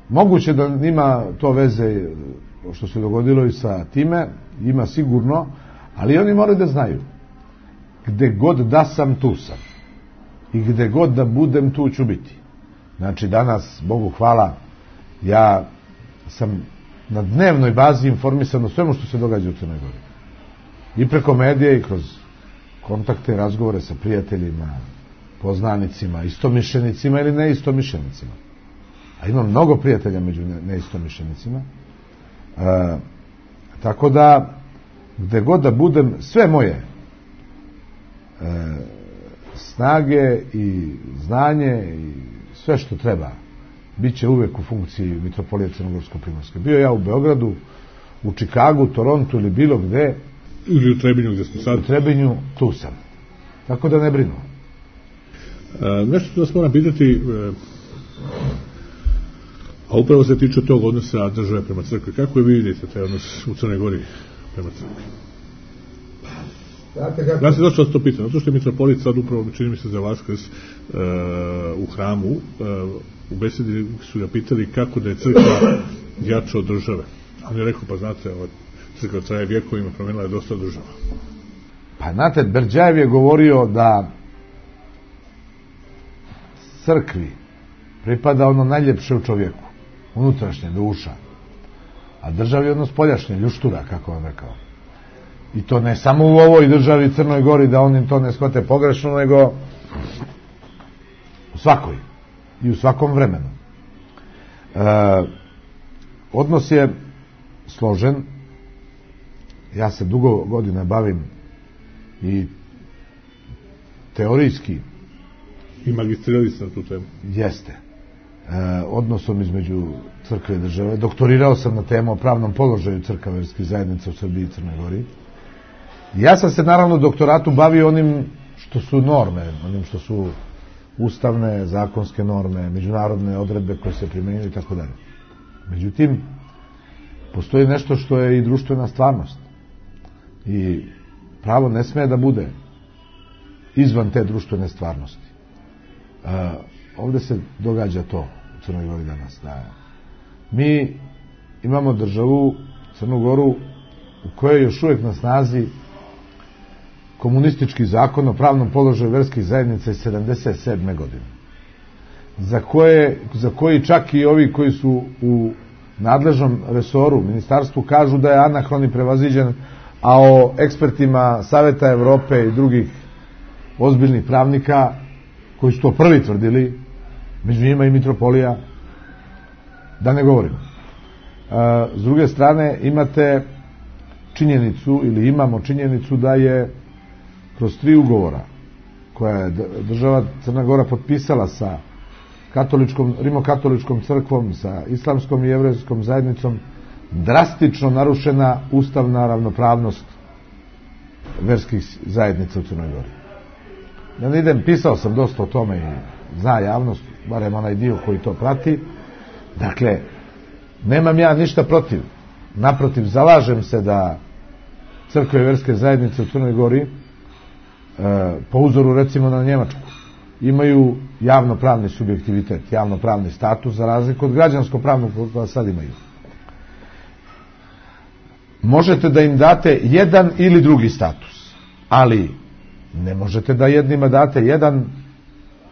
moguće da nima to veze što se dogodilo i sa time, ima sigurno, ali oni moraju da znaju, gde god da sam, tu sam, i gde god da budem, tu ću biti. Znači danas, Bogu hvala, ja sam na dnevnoj bazi informisan o svemu što se događa u Crnoj Gori. I preko medija i kroz kontakte, razgovore sa prijateljima, poznanicima, istomišljenicima ili neistomišljenicima. A imam mnogo prijatelja među neistomišljenicima. Tako da, gde god da budem, sve moje snage i znanje i sve što treba bit će uvek u funkciji Mitropolije Crnogorsko-Primorske. Bio ja u Beogradu, u Čikagu, Torontu ili bilo gde. Ili u Trebinju gde smo sad. U Trebinju, tu sam. Tako da ne brinu. Nešto vas moram pitati, a upravo se tiče tog odnosa države prema crkvi. Kako je vidite taj odnos u Crnoj Gori prema crkvi? Ja se zašto vas to pitam, zato što je mitropolit sad upravo, čini mi se za Vaskrs, u hramu, u besedi su ga pitali kako da je crkva jača od države. On je rekao, pa znate, crkva traje vjekovima, promenila je dosta država. Pa znate, Berđajev je govorio da crkvi pripada ono najljepše u čovjeku, unutrašnje, duša, a državi ono spoljašnje, ljuštura, kako vam rekao. I to ne samo u ovoj državi Crnoj Gori, da oni to ne shvate pogrešno, nego u svakoj i u svakom vremenu. Odnos je složen. Ja se dugo godina bavim i teorijski i magistrirali ste na tu temu. Jeste. Odnosom između crkve i države. Doktorirao sam na temu o pravnom položaju crkava verskih zajednica u Srbiji i Crnoj Gori. Ja sam se naravno doktoratu bavio onim što su norme, onim što su ustavne, zakonske norme, međunarodne odredbe koje se primjenjuju i tako dalje. Međutim, postoji nešto što je i društvena stvarnost. I pravo ne sme da bude izvan te društvene stvarnosti. Ovdje se događa to u Crnoj Gori danas. Mi imamo državu, Crnu Goru, u kojoj je još uvijek na snazi komunistički zakon o pravnom položaju verskih zajednica iz 1977. godine. Za koji čak i ovi koji su u nadležnom resoru, ministarstvu, kažu da je anahron i prevaziđen, a o ekspertima Saveta Evrope i drugih ozbiljnih pravnika koji su to prvi tvrdili, među njima i mitropolija, da ne govorimo. S druge strane, imate činjenicu, ili imamo činjenicu da je kroz 3 ugovora koja je država Crna Gora potpisala sa rimokatoličkom crkvom, sa islamskom i jevrejskom zajednicom, drastično narušena ustavna ravnopravnost verskih zajednica u Crnoj Gori. Ja ne idem, pisao sam dosta o tome i zna javnost, barem onaj dio koji to prati. Dakle, nemam ja ništa protiv. Naprotiv, zalažem se da crkve i verske zajednice u Crnoj Gori, po uzoru recimo na Njemačku, imaju javnopravni subjektivitet, javnopravni status, za razliku od građansko-pravnog koja sad imaju. Možete da im date jedan ili drugi status, ali ne možete da jednima date jedan,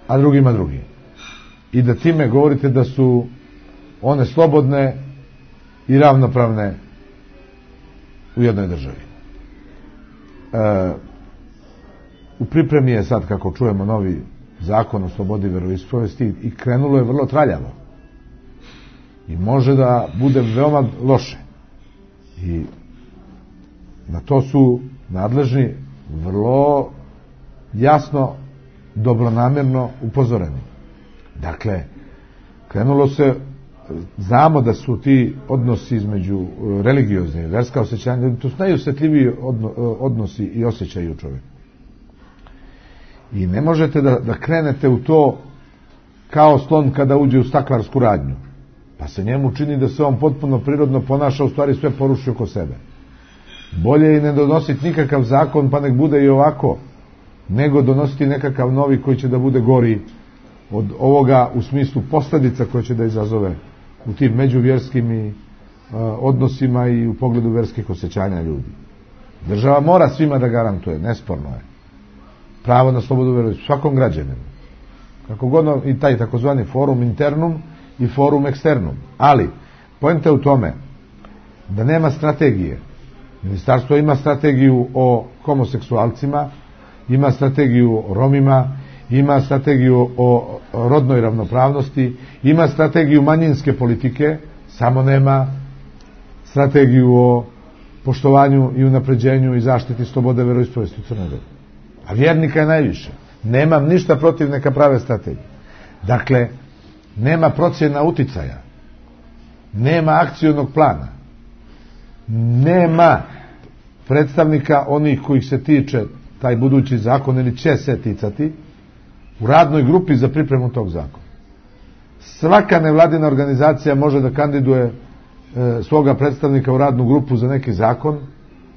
a drugima drugi. I da time govorite da su one slobodne i ravnopravne u jednoj državi. U pripremi je sad, kako čujemo, novi zakon o slobodi veroispovesti i krenulo je vrlo traljavo. I može da bude veoma loše. I na to su nadležni vrlo jasno, dobronamjerno upozoreni. Dakle, krenulo se, znamo da su ti odnosi između religiozni, verska osjećanja, to su najosjetljiviji odnosi i osjećaju u čovjeku. I ne možete da krenete u to kao slon kada uđe u staklarsku radnju. Pa se njemu čini da se on potpuno prirodno ponaša, u stvari sve poruši oko sebe. Bolje je ne donositi nikakav zakon, pa nek bude i ovako, nego donositi nekakav novi koji će da bude gori od ovoga u smislu posljedica koje će da izazove u tim međuvjerskim i odnosima i u pogledu verskih osjećanja ljudi. Država mora svima da garantuje, nesporno je, pravo na slobodu veroispovesti svakom građaninu. Kako god i taj takozvani forum internum i forum eksternum. Ali, poenta je u tome da nema strategije. Ministarstvo ima strategiju o homoseksualcima, ima strategiju o Romima, ima strategiju o rodnoj ravnopravnosti, ima strategiju manjinske politike, samo nema strategiju o poštovanju i unapređenju i zaštiti slobode veroispovesti u Crnoj Gori. A vjernika je najviše. Nemam ništa protiv, neka prave strategije. Dakle, nema procjena uticaja, nema akcionog plana, nema predstavnika onih kojih se tiče taj budući zakon ili će se ticati u radnoj grupi za pripremu tog zakona. Svaka nevladina organizacija može da kandiduje svoga predstavnika u radnu grupu za neki zakon,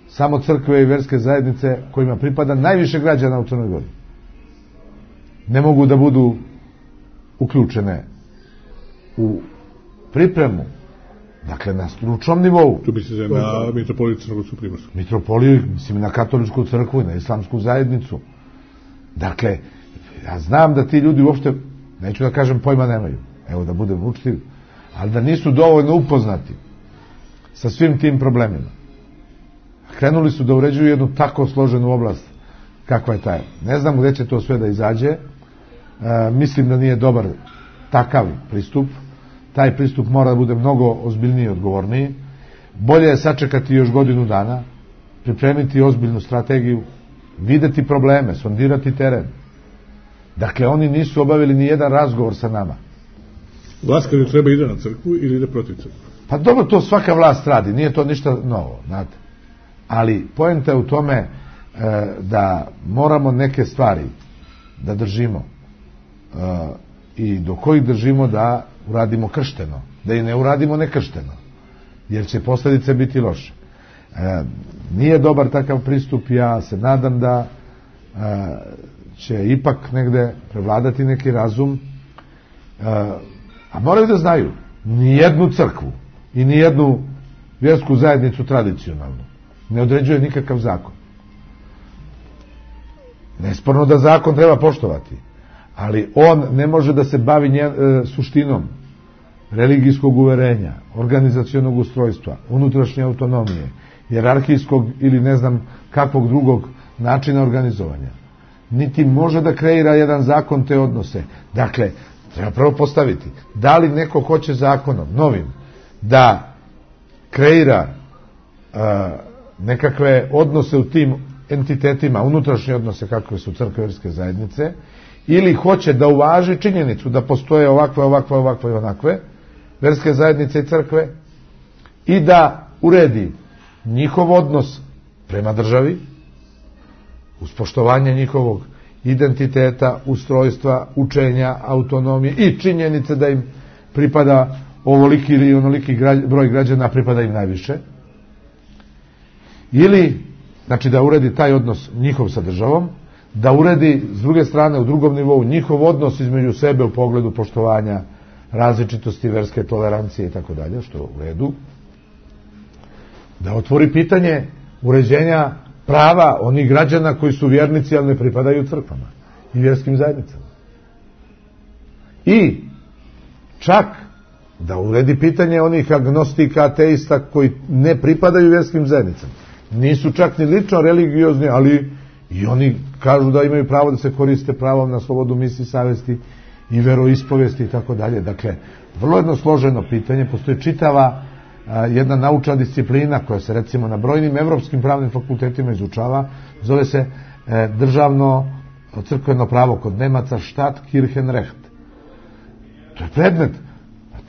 samo crkve i verske zajednice kojima pripada najviše građana u Crnoj Gori ne mogu da budu uključene u pripremu, dakle na stručnom nivou. Tu bi se na mitropoliju Crnogorsku Primorsku. Mitropoliju, mislim na katoličku crkvu i na islamsku zajednicu. Dakle, ja znam da ti ljudi uopšte, neću da kažem pojma nemaju, evo da budem učtiv, ali da nisu dovoljno upoznati sa svim tim problemima. Krenuli su da uređuju jednu tako složenu oblast kakva je taj. Ne znam gdje će to sve da izađe. Mislim da nije dobar takav pristup. Taj pristup mora da bude mnogo ozbiljniji i odgovorniji. Bolje je sačekati još godinu dana, pripremiti ozbiljnu strategiju, videti probleme, sondirati teren. Dakle, oni nisu obavili ni jedan razgovor sa nama. Vlast kada treba ide na crkvu ili ide protiv crkve? Pa dobro, to svaka vlast radi, nije to ništa novo, znate. Ali poenta je u tome da moramo neke stvari da držimo i do kojih držimo da uradimo kršteno, da i ne uradimo nekršteno, jer će posljedice biti loše. Nije dobar takav pristup, ja se nadam da će ipak negde prevladati neki razum, a moraju da znaju, nijednu crkvu i nijednu vjersku zajednicu tradicionalnu ne određuje nikakav zakon. Nesporno da zakon treba poštovati, ali on ne može da se bavi suštinom religijskog uverenja, organizacionog ustrojstva, unutrašnje autonomije, hijerarhijskog ili ne znam kakvog drugog načina organizovanja. Niti može da kreira jedan zakon te odnose. Dakle, treba prvo postaviti, da li neko hoće zakonom, novim, da kreira nekakve odnose u tim entitetima, unutrašnje odnose kakve su crkve, vjerske zajednice, ili hoće da uvaži činjenicu da postoje ovakve i onakve vjerske zajednice i crkve i da uredi njihov odnos prema državi uz poštovanje njihovog identiteta, ustrojstva, učenja, autonomije i činjenice da im pripada ovoliki ili onoliki broj građana, pripada im najviše. Ili, znači da uredi taj odnos njihov sa državom, da uredi s druge strane u drugom nivou njihov odnos između sebe u pogledu poštovanja različitosti, verske tolerancije i tako dalje, što u redu. Da otvori pitanje uređenja prava onih građana koji su vjernici, ali ne pripadaju crkvama i vjerskim zajednicama. I čak da uredi pitanje onih agnostika, ateista koji ne pripadaju vjerskim zajednicama. Nisu čak ni lično religiozni, ali i oni kažu da imaju pravo da se koriste pravom na slobodu misli, savesti i veroispovesti i tako dalje. Dakle, vrlo jedno složeno pitanje, postoji čitava jedna naučna disciplina koja se recimo na brojnim evropskim pravnim fakultetima izučava, zove se državno crkveno pravo kod Nemaca Staatskirchenrecht. To je predmet.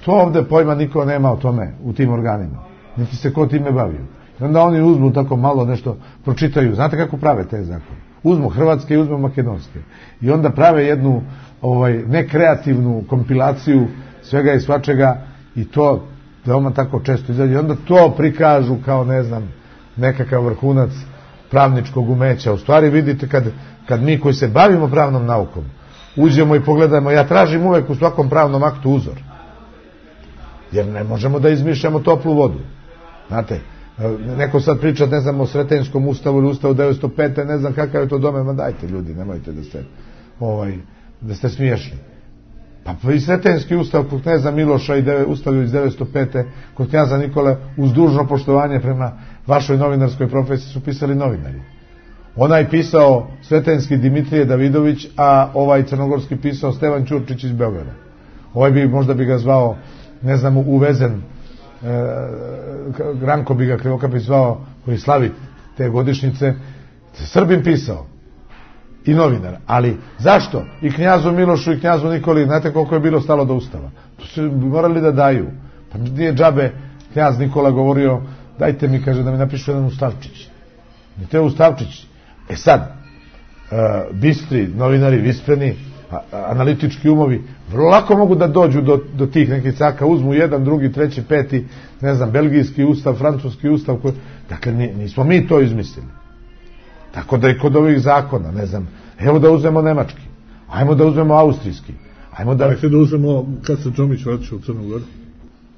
To ovde pojma niko nema o tome u tim organima. Niti se ko time bavio. I onda oni uzmu tako malo nešto, pročitaju. Znate kako prave te zakone? Uzmu hrvatske i uzmu makedonske. I onda prave jednu nekreativnu kompilaciju svega i svačega i to veoma tako često izađe. I onda to prikažu kao, ne znam, nekakav vrhunac pravničkog umeća. U stvari vidite kad mi koji se bavimo pravnom naukom uđemo i pogledamo, ja tražim uvek u svakom pravnom aktu uzor. Jer ne možemo da izmišljamo toplu vodu. Znate, neko sad priča, ne znam, o Sretenskom ustavu ili ustavu 905. Ne znam kakav je to domen, ma dajte ljudi, nemojte da ste smiješni. Pa i Sretenski ustav kod kneza Miloša i ustav iz 905. kod knjaza Nikole, uz dužno poštovanje prema vašoj novinarskoj profesiji, su pisali novinari. Onaj pisao Sretenski Dimitrije Davidović, a ovaj crnogorski pisao Stevan Ćurčić iz Beograda. Možda bi ga zvao, ne znam, Uvezen, Ranko bi ga Krivokapić zvao, koji slavi te godišnjice. Srbin pisao i novinar. Ali zašto? I knjazu Milošu i knjazu Nikoli, znate koliko je bilo stalo do ustava? To su morali da daju. Pa nije džabe knjaz Nikola govorio, dajte mi, kaže, da mi napišu jedan ustavčić. Ne te ustavčić. Sad, bistri novinari, vispreni, analitički umovi, vrlo lako mogu da dođu do tih nekih caka, uzmu jedan, drugi, treći, peti, ne znam, belgijski ustav, francuski ustav, dakle, nismo mi to izmislili. Tako da i kod ovih zakona, ne znam, evo da uzmemo nemački, ajmo da uzmemo austrijski, ajmo da uzmemo, kad se Čomić vraća u Crnu Goru?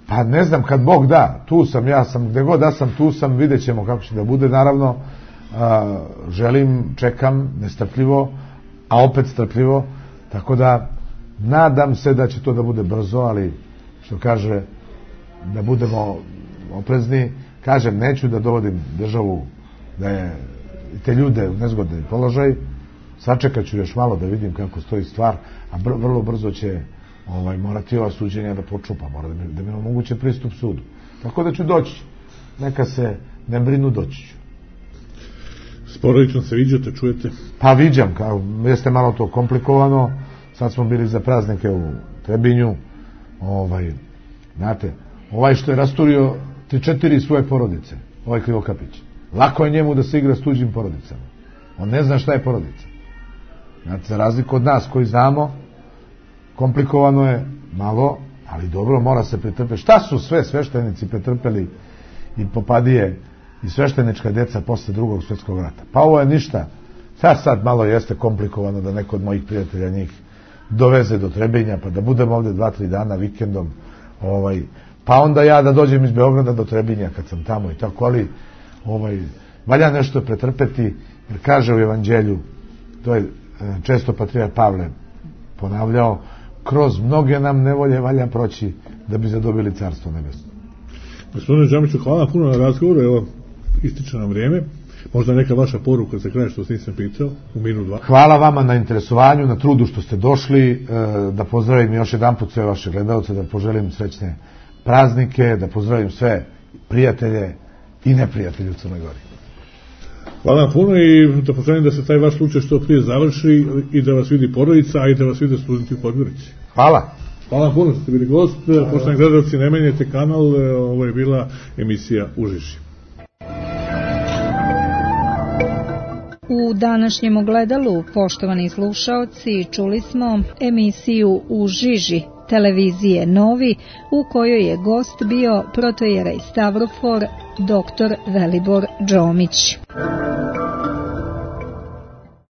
Pa ne znam, kad Bog da, tu sam, ja sam, gde god da sam, tu sam, vidjet ćemo kako će da bude, naravno, želim, čekam, nestrpljivo, a opet strpljivo, tako da nadam se da će to da bude brzo, ali što kaže, da budemo oprezni. Kažem, neću da dovodim državu, da je te ljude u nezgodni položaj, sačekat ću još malo da vidim kako stoji stvar, a vrlo brzo će morati ova suđenja da počupa, mora da mi omoguće pristup sudu. Tako da ću doći, neka se ne brinu, doći ću. Sporodično se viđate, čujete? Pa viđam, jeste malo to komplikovano, sad smo bili za praznike u Trebinju, znate, što je rasturio 3-4 svoje porodice, Krivokapić, lako je njemu da se igra s tuđim porodicama. On ne zna šta je porodica. Znate, za razliku od nas koji znamo, komplikovano je malo, ali dobro, mora se pretrpeti. Šta su sve sveštenici pretrpeli i popadije i sveštenička djeca posle Drugog svjetskog rata? Pa ovo je ništa. Sad malo jeste komplikovano da neko od mojih prijatelja njih doveze do Trebinja, pa da budem ovdje 2-3 dana vikendom, pa onda ja da dođem iz Beograda do Trebinja kad sam tamo i tako, ali valja nešto pretrpeti, jer kaže u Evanđelju, to je često patrijarh Pavle ponavljao, kroz mnoge nam nevolje valja proći da bi zadobili carstvo nebesno. Gospodine Džamiću, hvala puno na razgovoru, evo, ističe nam vrijeme. Možda neka vaša poruka za kraj što vas nisam pitao, u minut 2. Hvala vama na interesovanju, na trudu što ste došli, da pozdravim još jedanput sve vaše gledalce, da poželim srećne praznike, da pozdravim sve prijatelje i neprijatelje u Crnoj Gori. Hvala vam puno i da poželim da se taj vaš slučaj što prije završi i da vas vidi porodica, a i da vas vide studenti u Podgorici. Hvala. Hvala vam puno što ste bili gost. Poštovani gledalci, ne menjajte kanal, ovo je bila emisija U žiži. U današnjem ogledalu, poštovani slušaoci, čuli smo emisiju U žiži televizije Novi, u kojoj je gost bio protojerej Stavrofor dr. Velibor Džomić.